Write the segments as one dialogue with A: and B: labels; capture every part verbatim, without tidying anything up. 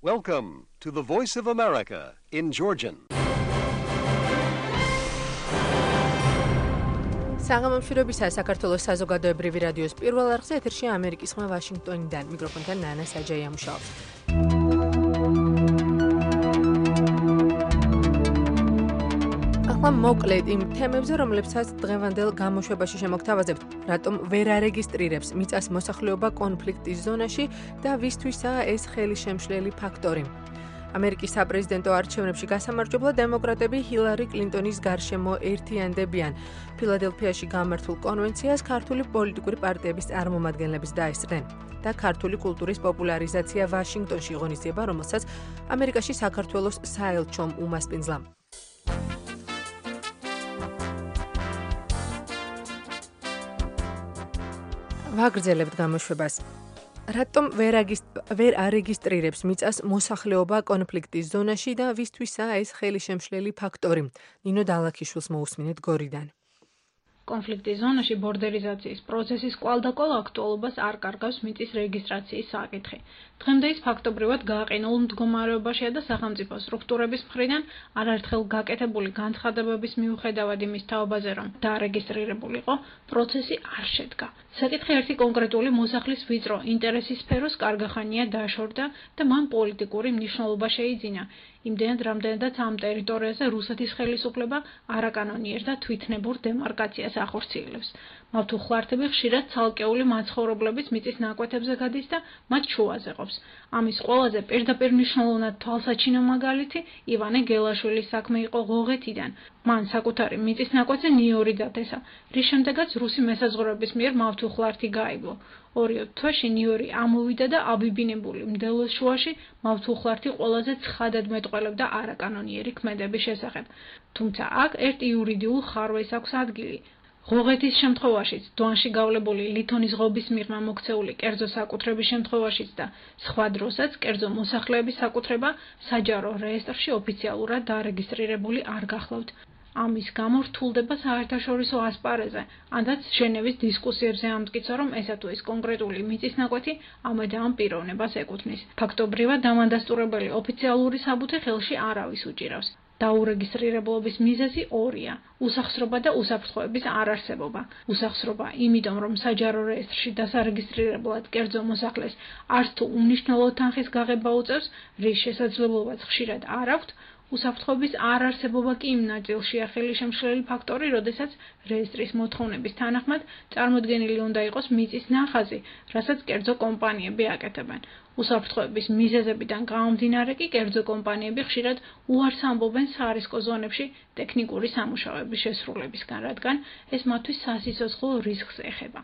A: Welcome to the Voice of America in Georgian.
B: საღამომშვიდობისა საქართველოს საზოგადოებრივი რადიოს პირველ არხზე ეთერში ამერიკის ხმა ვაშინგტონიდან მიკროფონთან ნანა საჯაია მუშაობს. ახლა მოკლედ იმ თემებზე, რომლებსაც დღევანდელ გამოშვებაში შემოგთავაზებთ, რატომ ვერ არეგისტრირებს მიწას მოსახლეობა კონფლიქტის ზონაში და ვისთვისაა ეს ხელისშემშლელი ფაქტორი. ამერიკის საპრეზიდენტო არჩევნებში გასამარჯვებლად დემოკრატები ჰილარი კლინტონის გარშემო ერთიანდებიან. ფილადელფიაში გამართულ კონვენციას ქართული პოლიტიკური პარტიების წარმომადგენლებიც დაესწრნენ და ქართული კულტურის პოპულარიზაცია ვაშინგტონში ღონისძიება, რომელსაც ამერიკაში საქართველოს საელჩომ უმასპინძლა. ვაგრძელებთ გამოშვებას. რატომ ვერ ვერ არეგისტრირებს მიწას მოსახლეობა კონფლიქტის ზონაში და ვისთვისაა ეს ხელისშემშლელი ფაქტორი? ნინო დალაქიშვილს მოусმინეთ გორიდან.
C: კონფლიქტის ზონაში ბორდერიზაციის პროცესის კვალდაკვალ აქტუალობას არ კარგავს მიწის რეგისტრაციის საკითხი. დღემდე ის ფაქტობრივად გააყენულ მდგომარეობაშია და სახელმწიფო სტრუქტურების მხრიდან არაერთხელ გაკეთებული განცხადებების მიუხედავად იმის თაობაზე, რომ დაარეგისტრირებულიყო, პროცესი არ შედგა. საკითხი ერთი კონკრეტული მოსახლის ვიწრო ინტერესის სფეროს კარგახანია დაშორდა და მან პოლიტიკური მნიშვნელობა შეიძინა. იმდენად, რამდენადაც ამ ტერიტორიაზე რუსეთის ხელისუფლება არაკანონიერ და თვითნებურ დემარკაციას ახორციელებს. მავთუხლართები ხშირად ცალკეული მაცხოვრებლების მიწის ნაკვეთებზე გადის და მათ შუაზე ყოფს. ამის ყველაზე პირდაპირ მნიშვნელოვნად თვალსაჩინო მაგალითი ივანე გელაშვილის საქმე იყო ღოღეთიდან. მან საკუთარი მიწის ნაკვეთზე ნიორი დათესა, რის შემდეგაც რუსი მესაზღვრეების მიერ მავთუხლართი გაივლო. ორიო თვეში ნიორი ამოვიდა და აბიბინებული მდელოს შუაში მავთუხლართი ყველაზე ცხადად მეტყველებდა არაკანონიერი ქმედების შესახებ. თუმცა აქ ერთ იურიდიულ ხარვეს აქვს ადგილი. ღოღეთის შემთხვევაშიც, დვანში გავლებული ლითონის ღობის მიღმა მოქცეული კერძო საკუთრების შემთხვევაშიც და სხვა დროსაც კერძო მოსახლეების საკუთრება საჯარო რეესტრში ოფიციალურად დარეგისტრირებული არ გახლავთ. ამის გამო რთულდება საერთაშორისო ასპარეზზე, ანაც ჟენევის დისკუსიებზე ამტკიცა, რომ ესა თუ ის კონკრეტული მიწის ნაკვეთი ამად ამ პიროვნებას ეკუთვნის. ფაქტობრივად დამადასტურებელი ოფიციალური საბუთი ხელში არავის უჭირავს. დაურეგისტრირებლობის მიზეზი ორია: უსახსრობა და უსაფრთხოების არარსებობა. უსახსრობა, იმიტომ რომ საჯარო რეესტრში დასარეგისტრირებლად კერძო მოსახლეს არც თუ უმნიშვნელო თანხის გაღება უწევს, რის შესაძლებლობაც ხშირად არ აქვთ. უსაფრთხოების არარსებობა კი იმ ნაწილშია ხელისშემშლელი ფაქტორი, როდესაც რეესტრის მოთხოვნების თანახმად წარმოდგენილი უნდა იყოს მიწის ნახაზი, რასაც კერძო კომპანიები აკეთებენ. უსაფრთხოების მიზეზებიდან გამომდინარე კი კერძო კომპანიები ხშირად უარს ამბობენ სარისკო ზონებში ტექნიკური სამუშაოების შესრულებისგან, რადგან ეს მათთვის სასიცოცხლო რისკს ეხება.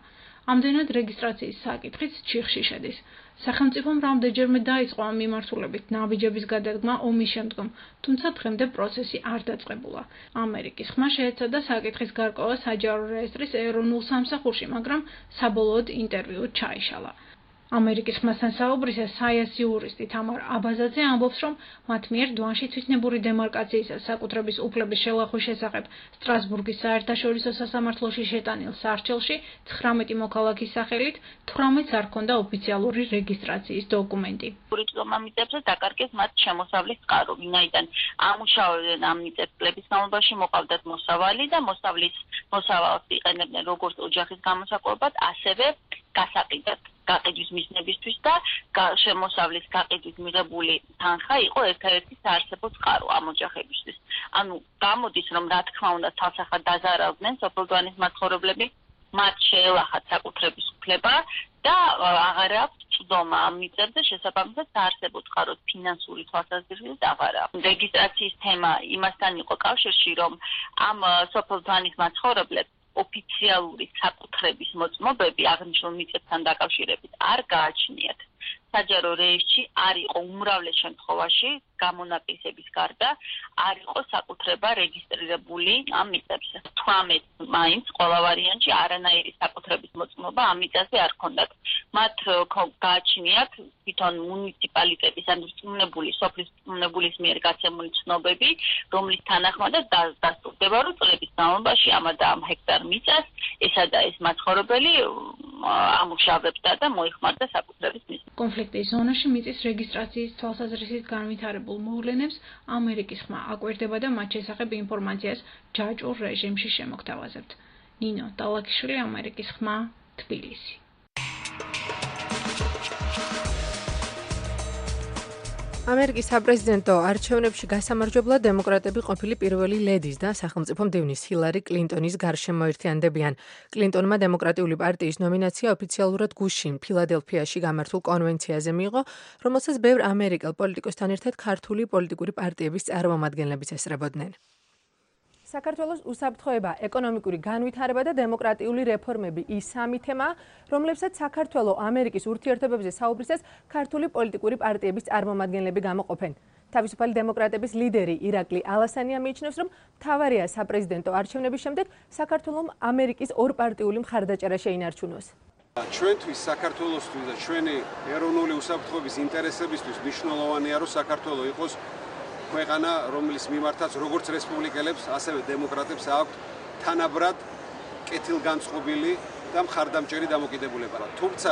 C: ამდენად რეგისტრაციის საკითხიც ჩიხში შედის. სახელმწიფომ რამდენჯერმე დაიწყო ამ მიმართულებით ნაბიჯების გადადგმა ომის შემდგომ, თუმცა დღემდე პროცესი არ დაწყებულა. ამერიკის ხმა შეეცადა საკითხის გარკვევა საჯარო რეესტრის ეროვნულ სამსახურში, მაგრამ საბოლოოდ ინტერვიუ ჩაიშალა. ამერიკის ხმასთან საუბრისას საიასი იურისტი თამარ აბაზაძე ამბობს, რომ მათ მიერ დვანში თვითნებური დემარკაციის საკუთრების უფლების შელახვის შესახებ სტრასბურგის საერთაშორისო სასამართლოში შეტანილ სარჩელში ცხრამეტი მოქალაქის სახელით თვრამეტს არ ჰქონდა ოფიციალური რეგისტრაციის დოკუმენტი.
D: ამ მიწებზე დაკარგეს მათ შემოსავლის წყარო, ვინაიდან ამუშავებდნენ ამ მიწების განმავლობაში მოყავდათ მოსავალი და მოსავლის მოსავალს იყენებდნენ როგორც ოჯახის გამოსაკუთრებად, ასევე გასაყიდად. გაყიდვის მიზნებისთვის და შემოსავლის გაყიდვის მიღებული თანხა იყო ერთადერთი საარსებო წყარო ამ ოჯახებისთვის. ანუ გამოდის, რომ რა თქმა უნდა თავსახად დაზარავდნენ სოფელდვანის მაცხოვრებლები, მათ შეელახათ საკუთრების უფლება და აღარ აქვს წვდომა ამ მიწებზე, შესაბამისად საარსებო წყაროს ფინანსური თვალსაზრისით აღარ აქვს. რეგისტრაციის თემა იმასთან იყო კავშირში, რომ ამ სოფელდვანის მაცხოვრებლებს ოფიციალური საკუთრების მოწმობები აღნიშნულ მიწებთან დაკავშირებით არ გააჩნიათ. საჯარო რეესტრში არ იყო უმრავლეს შემთხვევაში გამონაკლისების გარდა არ იყო საკუთრება რეგისტრირებული ამ მიწებზე. თვრამეტ მაინც ყველა ვარიანტში არანაირი საკუთრების მოწმობა ამ მიწაზე არ ჰქონდათ. მათ გააჩნიათ თვითონ მუნიციპალიტეტის ან რწმუნებული სოფლის რწმუნებულის მიერ გაცემული ცნობები, რომლის თანახმადაც დასტურდება, რომ წლების განმავლობაში ამ და ამ ჰექტარ მიწას ესა და ეს მაცხოვრებელი ამუშავებდა და მოიხმარდა საკუთრების მიზნით.
C: კონფლიქტის ზონაში მიწის რეგისტრაციის თვალსაზრისით განვითარებულ მოვლენებს ამერიკის ხმა აკვირდება და მათ შესახებ ინფორმაციას ჯაჭვურ რეჟიმში შემოგთავაზებთ. ნინო დალაქიშვილი, ამერიკის ხმა, თბილისი.
B: ამერიკის საპრეზიდენტო არჩევნებში გასამარჯვებლად დემოკრატები ყოფილი პირველი ლედის და სახელმწიფო მდივნის ჰილარი კლინტონის გარშემო ერთიანდებიან. კლინტონმა დემოკრატიული პარტიის ნომინაცია ოფიციალურად გუშინ ფილადელფიაში გამართულ კონვენციაზე მიიღო, რომელსაც ბევრ ამერიკელ პოლიტიკოსთან ერთად ქართული პოლიტიკური პარტიების წარმომადგენლებიც ესწრებოდნენ. საქართველოს უსაფრთხოება, ეკონომიკური განვითარება და დემოკრატიული რეფორმები ის სამი თემაა, რომლებსაც საქართველო ამერიკის ურთიერთობებზე საუბრისას ქართული პოლიტიკური პარტიების წარმომადგენლები გამოყოფენ. თავისუფალი დემოკრატების ლიდერი ირაკლი ალასანია მიიჩნევს, რომ მთავარია საპრეზიდენტო არჩევნების შემდეგ საქართველომ ამერიკის ორპარტიული მხარდაჭერა შეინარჩუნოს.
E: ჩვენთვის საქართველოსთვის და ჩვენი ეროვნული უსაფრთხოების ინტერესებისთვის მნიშვნელოვანია, რომ საქართველო იყოს ქვეყანა, რომლის მიმართაც როგორც რესპუბლიკელებს, ასევე დემოკრატებს აქვთ თანაბრად კეთილგანწყობილი და მხარდამჭერი დამოკიდებულება. თუმცა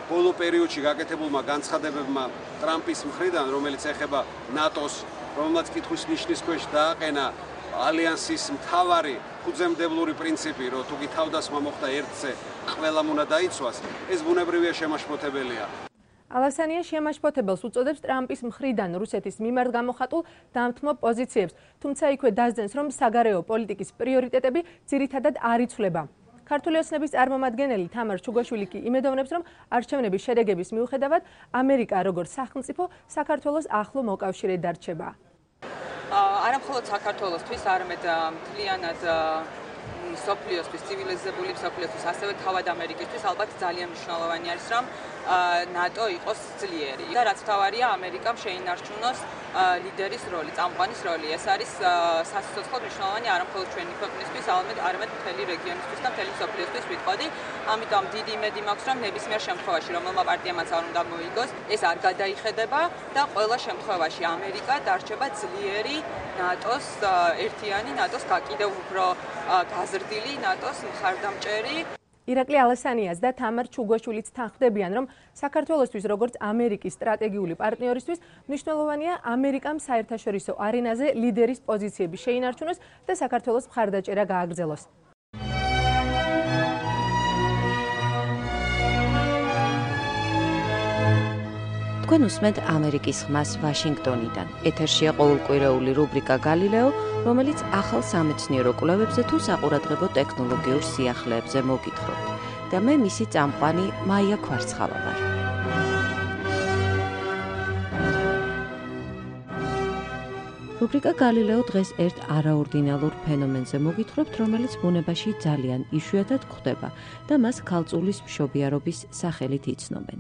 E: ბოლო პერიოდში გაკეთებულმა განცხადებებმა ტრამპის მხრიდან, რომელიც ეხება ნატოს, რომელმაც კითხვის ნიშნის ქვეშ დააყენა ალიანსის მთავარი ფუძემდებლური პრინციპი, რომ თუ კი თავდასხმა მოხდა ერთზე, ყველამ უნდა დაიცვას, ეს ბუნებრივია შემაშფოთებელია.
B: ალასანია შემაშფოთებელს უწოდებს ტრამპის მხრიდან რუსეთის მიმართ გამოხატულ დამთმობ პოზიციებს, თუმცა იქვე დასძენს, რომ საგარეო პოლიტიკის პრიორიტეტები ძირითადად არ იცვლება. ქართული ოცნების წარმომადგენელი თამარ ჩუგაშვილი კი იმედოვნებს, რომ არჩევნების შედეგების მიუხედავად ამერიკა როგორც სახელმწიფო საქართველოს ახლო მოკავშირე დარჩება.
F: არა მხოლოდ საქართველოსთვის, არამედ მთლიანად სოფლიოსთვის, ცივილიზებული სოფლიოსთვის, ასევე თავად ამერიკისთვის ალბათ ძალიან მნიშვნელოვანი არის, რომ ნატო იყოს ძლიერი და რაც თავარია ამერიკამ შეინარჩუნოს ლიდერის როლი, წამყვანის როლი. ეს არის სასიცოცხლოდ მნიშვნელოვანი არა მხოლოდ ჩვენი ქვეყნისთვის, არამედ მთელი რეგიონისთვის და მთელი სოფლიოსთვის ვიტყოდი. ამიტომ დიდი იმედი მაქვს, რომ ნებისმიერ შემთხვევაში, რომელმა პარტიამაც არ უნდა მოიგოს, ეს არ გადაიხედება და ყველა შემთხვევაში ამერიკა დარჩება ძლიერი ნატოს ერთიანი, ნატოს კიდევ უფრო გაზრდილი, ნატოს მხარდამჭერი.
B: ირაკლი ალასანიას და თამარ ჩუგაშვილიც თანხმდებიან, რომ საქართველოსთვის როგორც ამერიკის სტრატეგიული პარტნიორისთვის მნიშვნელოვანია ამერიკამ საერთაშორისო არენაზე ლიდერის პოზიციები შეინარჩუნოს და საქართველოს მხარდაჭერა გააგრძელოს.
G: თქვენ უსმენთ ამერიკის ხმას ვაშინგტონიდან. ეთერშია ყოველკვირეული რუბრიკა გალილეო, რომელიც ახალ სამეცნიერო კვლევებზე თუ საყურადღებო ტექნოლოგიურ სიახლეებზე მოგითხრობთ. და მე მისი წამყვანი მაია ქვარცხავა ვარ. რუბრიკა გალილეო დღეს ერთ არაორდინალურ ფენომენზე მოგითხრობთ, რომელიც ბუნებაში ძალიან იშვიათად გვხვდება და მას ქალწულის მშობიარობის სახელით იცნობენ.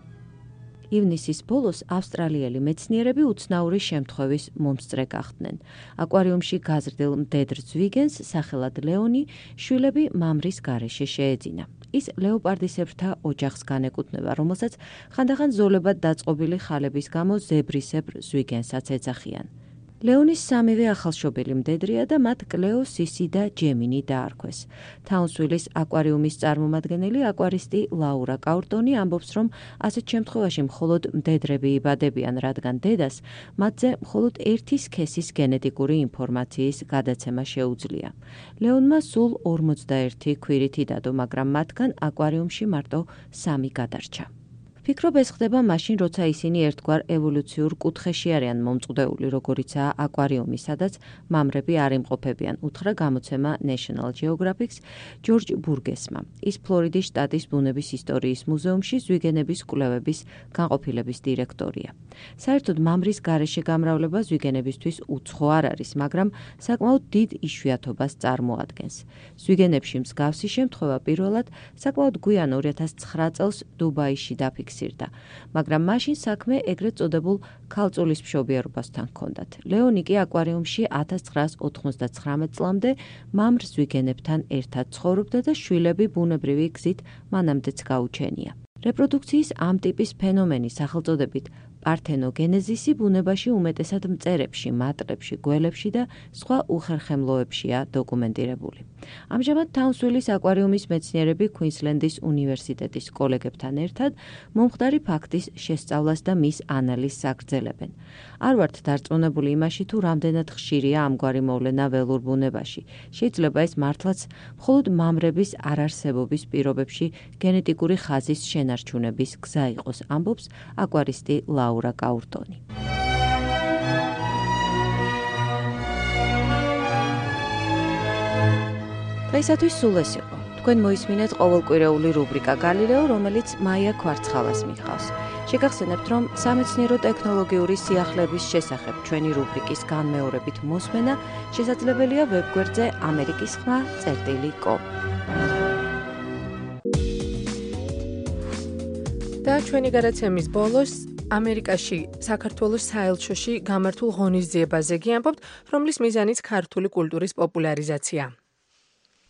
G: ივნისის ბოლოს ავსტრალიელი მეცნიერები უცნაური შემთხვევის მომსწრე გახდნენ. აკვარიუმში გაზრდილ მდედრ ზვიგენს სახელად ლეონი შვილები მამრის გარეშე შეეძინა. ის ლეოპარდისებრთა ოჯახს განეკუთვნება, რომელსაც ხანდახან ზოლებად დაწყობილი ხალების გამო ზებრისებრ ზვიგენსაც ეძახიან. ლეონის სამივე ახალშობილი მდედრია და მათ კლეო, სისი და ჯემინი დაარქვეს. თაუნსვილის აკვარიუმის წარმომადგენელი აკვარისტი ლაურა კაურტონი ამბობს, რომ ასეთ შემთხვევაში მხოლოდ მდედრები იბადებიან, რადგან დედას მათზე მხოლოდ ერთი სქესის გენეტიკური ინფორმაციის გადაცემა შეუძლია. ლეონმა სულ ორმოცდაერთი ქვირითი დადო, მაგრამ მათგან აკვარიუმში მარტო სამი გადარჩა. ფიქრობ ეს ხდება მაშინ, როცა ისინი ერთგვარ ევოლუციურ კუთხეში არიან მომწყვდეული, როგორიცაა აკვარიუმი, სადაც მამრები არ იმყოფებიან, უთხრა გამოცემა National Geographic-ს ჯორჯ ბურგესმა. ის ფლორიდის შტატის ბუნების ისტორიის მუზეუმში ზვიგენების კვლევების განყოფილების დირექტორია. საერთოდ მამრის გარეშე გამრავლება ზვიგენებისთვის უცხო არ არის, მაგრამ საკმაოდ დიდ იშვიათობას წარმოადგენს. ზვიგენებში მსგავსი შემთხვევა პირველად საკმაოდ გვიან ორი ათას ცხრა წელს დუბაიში დაფიქსირდა. მაგრამ მაშინ საქმე ეგრეთ წოდებულ ქალწულის მშობიარობასთან ჰქონდათ. ლეონი კი აკვარიუმში ათას ცხრაას ოთხმოცდაცხრამეტ წლამდე მამრ ზვიგენებთან ერთად ცხოვრობდა და შვილები ბუნებრივი გზით მანამდეც გაუჩენია. რეპროდუქციის ამ ტიპის ფენომენი სახელწოდებით პართენოგენეზისი ბუნებაში უმეტესად მწერებში, მატლებში, გველებში და სხვა უხერხემლოებშია დოკუმენტირებული. ამჟამად თაუნსვილის აკვარიუმის მეცნიერები ქუინსლენდის უნივერსიტეტის კოლეგებთან ერთად მომხდარი ფაქტის შესწავლას და მის ანალიზს აგრძელებენ. არ ვართ დარწმუნებული იმაში, თუ რამდენად ხშირია ამგვარი მოვლენა ველურ ბუნებაში. შეიძლება ეს მართლაც მხოლოდ მამრების არარსებობის პირობებში გენეტიკური ხაზის შენარჩუნების გზა იყოს, ამბობს აკვარისტი ლაურა კაურტონი. დღეისათვის სულ ეს იყო. თქვენ მოისმინეთ ყოველკვირეული რუბრიკა გალილეო, რომელიც მაია ქვარცხალას მიჰყავს. შეგახსენებთ, რომ სამეცნიერო ტექნოლოგიური სიახლეების შესახებ ჩვენი რუბრიკის განმეორებით მოსმენა შესაძლებელია ვებგვერდზე ამერიკის ხმა წერტილი კომ.
B: და ჩვენი გადაცემის ბოლოს ამერიკაში საქართველოს საელჩოში გამართულ ღონისძიებაზე გიამბობთ, რომლის მიზანიც ქართული კულტურის პოპულარიზაცია.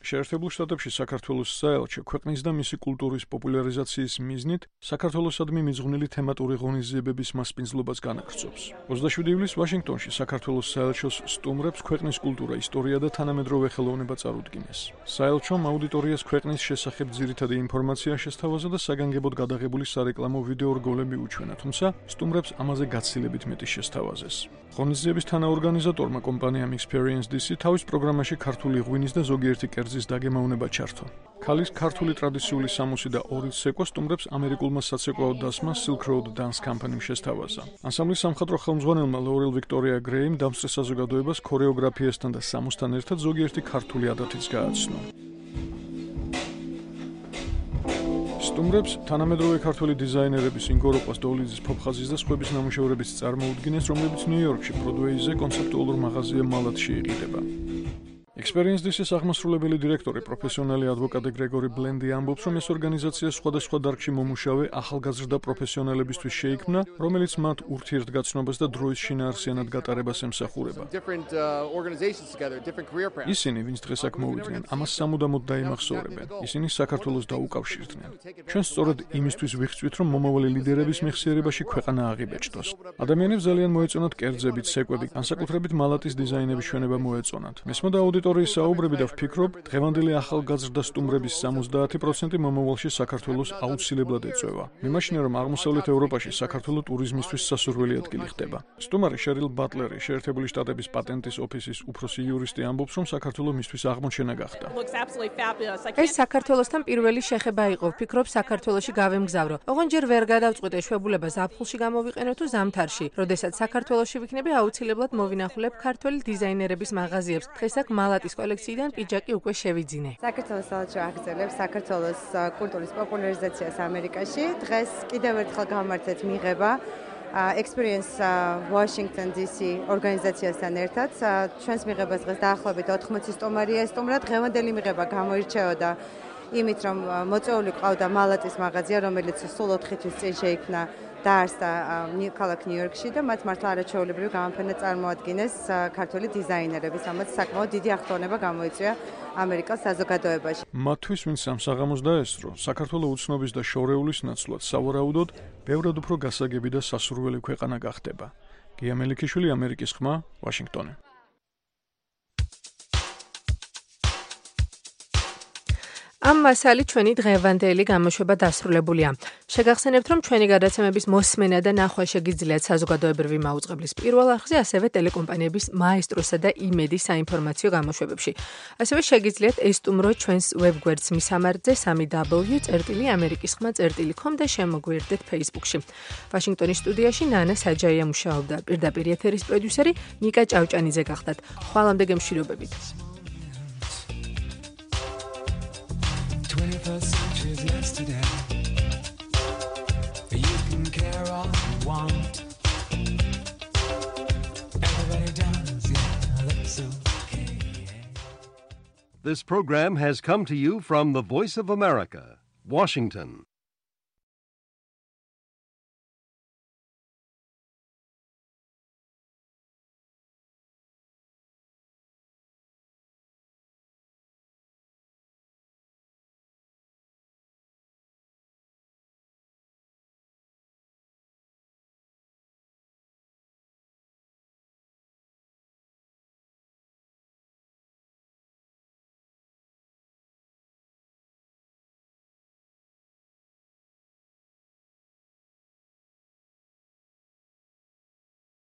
H: შეერთებულ შტატებში საქართველოს საელჩო ქვეყნის და მისი კულტურის პოპულარიზაციის მიზნით საქართველოსადმი მიძღვნილი თემატური ღონისძიებების მასპინძლობას განაგრძობს. ოცდაშვიდი ივლისს ვაშინგტონში საქართველოს საელჩოს სტუმრებს ქვეყნის კულტურა, ისტორია და თანამედროვე ხელოვნება წარუდგინეს. საელჩომ აუდიტორიას ქვეყნის შესახებ ძირითადი ინფორმაცია შესთავაზა და საგანგებოდ გადაღებული სარეკლამო ვიდეო რგოლები უჩვენა, თუმცა სტუმრებს ამაზე გაცილებით მეტი შესთავაზეს. ღონისძიების თანაორგანიზატორმა კომპანიამ Experience დი სი თავის პროგრამაში ქართული ღვინის და ზოგიერთი კერძის დაგემოვნება ჩართო. ქალის ქართული ტრადიციული სამოსი და ორი ცეკვა სტუმრებს ამერიკულმა საცეკვაო დასმა Silk Road Dance Company-მ შესთავაზა. ანსამბლის სამხატვრო ხელმძღვანელმა ლორელ ვიქტორია გრეიმ დამსწრე საზოგადოებას ქორეოგრაფიასთან და სამოსთან ერთად ზოგიერთი ქართული ადათიც გააცნო. სტუმრებს თანამედროვე ქართული დიზაინერების ინგო როყვას, დოლიძის, ფოფხაზის და სხვების ნამუშევრებიც წარმოუდგინეს, რომლებიც ნიუ-იორკში ბროდვეიზე კონცეპტუალურ მაღაზია მალათში იყიდება. Experience დი სის აღმასრულებელი დირექტორი, პროფესიონალი ადვოკატი გრეგორი ბლენდი ამბობს, რომ ეს ორგანიზაცია სხვადასხვა დარგში მომუშავე ახალგაზრდა პროფესიონალებისთვის შეიქმნა, რომელიც მათ ურთიერთგაცნობას და დროის შინაარსიანად გატარებას ემსახურება. ისინი, ვინც დღეს აქ მოვიდნენ, ამას სამუდამოდ დაიმახსოვრებენ. ისინი საქართველოს დაუკავშირდნენ. ჩვენ სწორედ იმისთვის ვიხსვით, რომ მომავალი ლიდერების მეხსიერებაში ქვეყანა აღიბეჭდოს. ადამიანებს ძალიან მოეწონათ კერძები, ცეკვები, განსაკუთრებით მალატის დიზაინების ჩვენება მოეწონათ. მესმოდა აუდიტორიის საუბრები და ვფიქრობ, დღევანდელი ახალგაზრდა სტუმრების სამოცდაათი პროცენტი მომავალში საქართველოს აუცილებლად ეწევა. მიმაჩნია, რომ აღმოსავლეთ ევროპაში საქართველოს ტურიზმისთვის სასურველი ადგილი ხდება. სტუმარი შერილ ბატლერი, შეერთებული შტატების პატენტის ოფისის უფროსი იურისტი ამბობს, რომ საქართველოს მისთვის აღმოჩენა გახდა.
B: ეს საქართველოსთან პირველი შეხება იყო, ვფიქრობ, საქართველოში გავემგზავრო. ოღონდ ჯერ ვერ გადავწყვიტე შვებულება ზაფხულში გამოვიყენო თუ ზამთარში. როდესაც საქართველოში ვიქნები, აუცილებლად მოვინახულებ ქართველი დიზაინერების მაღაზიებს. დღეს აქ მალატის კოლექციიდან პიჯაკი უკვე შევიძინე.
I: საქართველოს საელჩო აგრძელებს საქართველოს კულტურის პოპულარიზაციას ამერიკაში. დღეს კიდევ ერთხელ გამართეთ მიღება Experience Washington დი სი ორგანიზაციასთან ერთად. ჩვენს მიღებას დღეს დაახლოებით ოთხმოცი სტუმარია სტუმრა. დღევანდელი მიღება გამოირჩეოდა იმით, რომ მოწვეული ყავდა მალატის მაღაზია, რომელიც სულ ოთხი თვის წინ შეიქმნა დაარსდა ქალაქ ნიუ-იორკში და მათ მართლა არაჩვეულებრივი გამოფენა წარმოადგენს ქართული დიზაინერების, ამაც საკმაოდ დიდი აღფრთოვანება გამოიწვია ამერიკელ საზოგადოებაში.
H: მათთვის, ვინც ამ საღამოს დაესწრო, საქართველოს უცნობის და შორეულის ნაცვლად სავარაუდოდ ბევრად უფრო გასაგები და სასურველი ქვეყანა გახდება. გია მელიქიშვილი, ამერიკის ხმა, ვაშინგტონი.
B: ამ მასალით ჩვენი დღევანდელი გამოშვება დასრულებულია. შეგახსენებთ, რომ ჩვენი გადაცემების მოსმენა და ნახვა შეგიძლიათ საზოგადოებრივი მაუწყებლის პირველ არხზე, ასევე ტელეკომპანიების მაესტროსა და იმედის საინფორმაციო გამოშვებებში. ასევე შეგიძლიათ ესტუმროთ ჩვენს ვებგვერდს მისამართზე სამი დაბლიუ წერტილი ამერიკის ხმა წერტილი კომ და შემოგვიერთდეთ Facebook-ში. ვაშინგტონის სტუდიაში ნანა საჯაია მუშაობდა, პირდაპირ ეთერის პროდიუსერი ნიკა ჭავჭანიძე გახდათ. ხვალამდე გემშვიდობებით.
J: twenty-first century is yesterday. You can care all you want. Everybody does, yeah, that's okay.
A: This program has come to you from the Voice of America, Washington.